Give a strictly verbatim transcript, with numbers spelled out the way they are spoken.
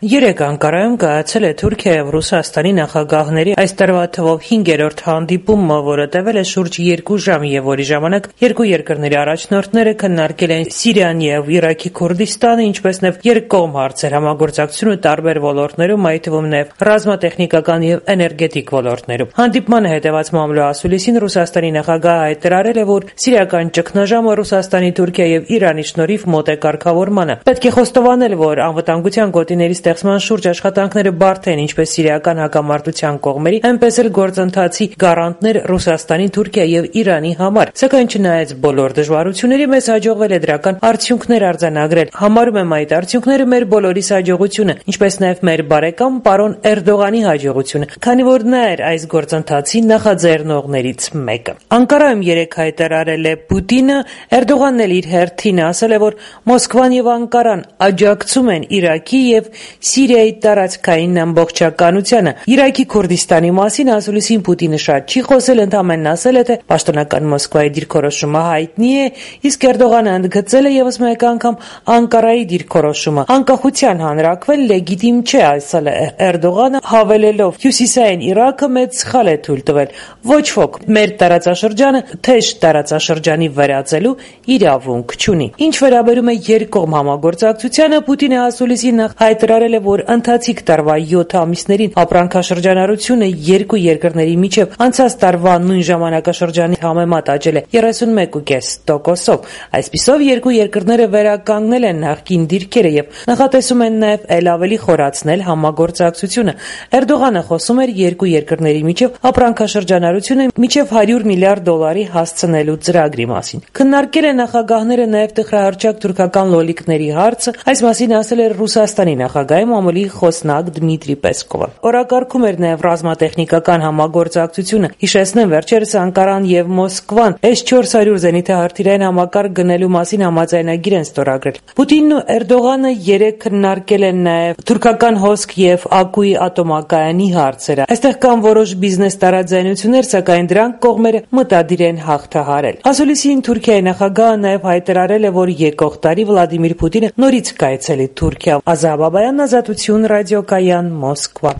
Երեկ Անկարայում կայացել է Թուրքիա եւ Ռուսաստանի նախագահների այս տարվա թվով հինգերորդ հանդիպումը, որը տևել է շուրջ երկու ժամ եւ որի ժամանակ երկու երկրների առաջնորդները քննարկել են Սիրիան եւ Իրաքի Քուրդիստանը, ինչպես նաեւ երկկողմ հարցեր, համագործակցությունը տարբեր ոլորտներում, այդ թվում նաեւ ռազմատեխնիկական եւ էներգետիկ ոլորտներում։ Հանդիպմանը հետեւած մամլո ասուլիսին Ռուսաստանի նախագահը հայտարարել է, որ սիրիական ճգնաժամը Ռուսաստանի, Թուրքիա եւ Իրանի շնորհիվ մոտ է կարգավորմանը։ Պետք է խոստովանել, որ անվտանգության գոտիների ստեղծման շուրջ աշխատանքները բարդ են ինչպես սիրիական հակամարտության կողմերի, այնպես էլ գործընթացի գարանտներ Ռուսաստանի, Թուրքիա եւ Իրանի համար։ Սակայն չնայած բոլոր դժվարությունների, մեզ հաջողվել է դրական արդյունքներ արձանագրել։ Համարում եմ այդ արդյունքները մեր բոլորիս հաջողությունը, ինչպես նաեւ մեր բարեկամ պարոն Էրդողանի հաջողությունը, քանի որ նա էր այս գործընթացի նախաձեռնողներից մեկը։ Անկարայում երեկ հայտարարել է Պուտինը, Էրդողանն էլ իր հերթին ասել է, որ Մոսկվան եւ Անկարան աջակցում են Իրաքի եւ Սիրիայի տարածքային ամբողջականությանը։ Իրաքի Քուրդիստանի մասին ասուլիսին Պուտինը շատ չի խոսել, ընդամենն ասել է, թե պաշտոնական Մոսկվայի դիրքորոշումը հայտնի է, իսկ Էրդողանը ընդգծել է եւս մեկ անգամ Անկարայի դիրքորոշումը անկախության հանրաքվել լեգիտիմ չէ, ասել է Էրդողանը, հավելելով. Հյուսիսային Իրաքը մեծ սխալ է թույլ տվել։ Ոչ ոք մեր տարածաշրջանը թեժ տարածաշրջանի վերածելու իրավունք չունի։ Ինչ վերաբերում է երկկողմ համագործակցությանը, Պուտինը ասուլիսին հայտարարել է, որ ընթացիկ տարվա յոթ ամիսներին ապրանքաշրջանառությունը երկու երկրների միջև անցած տարվա նույն ժամանակաշրջանի համեմատ աճել է երեսունմեկ կόμμα պենս տոկոսով։ Այսպիսով երկու երկրները վերականգնել են նախկին դիրքերը եւ նախատեսում են նաեւ ել ավելի խորացնել համագործակցությունը։ Էրդողանը խոսում էր երկու երկրների միջև ապրանքաշրջանառությունը մինչև հարյուր միլիարդ դոլարի հասցնելու ծրագրի մասին։ Քննարկել են նախագահները նաեւ տխրահարճակ թուրքական լոլիկների հարցը, այս մասին ասել էր Ռուսաստանի նախագահի մամուլի խոսնակ Դմիտրի Պեսկովը։ Օրակարգում էր նաև ռազմատեխնիկական համագործակցությունը։ Հիշեցնեմ, վերջերս Անկարան եւ Մոսկվան էս չորս հարյուր զենիթահրթիռային համակարգ գնելու մասին համաձայնագիր են ստորագրել։ Պուտինն ու Էրդողանը երեկ քննարկել են նաև թուրքական հոսք եւ Ակուի ատոմակայանի հարցերը։ Այստեղ կան որոշ բիզնես տարաձայնություններ, սակայն դրանք կողմերը մտադիր են հաղթահարել։ Ասուլիսին Թուրքիայի նախագահը նաև հայտարարել է, որ եկող տարի Վլադիմիր Պուտինը նորից կայցելի Թուրքիա։ Ազա Բաբայան, Ազատություն ռադիոկայան, Մոսկվա։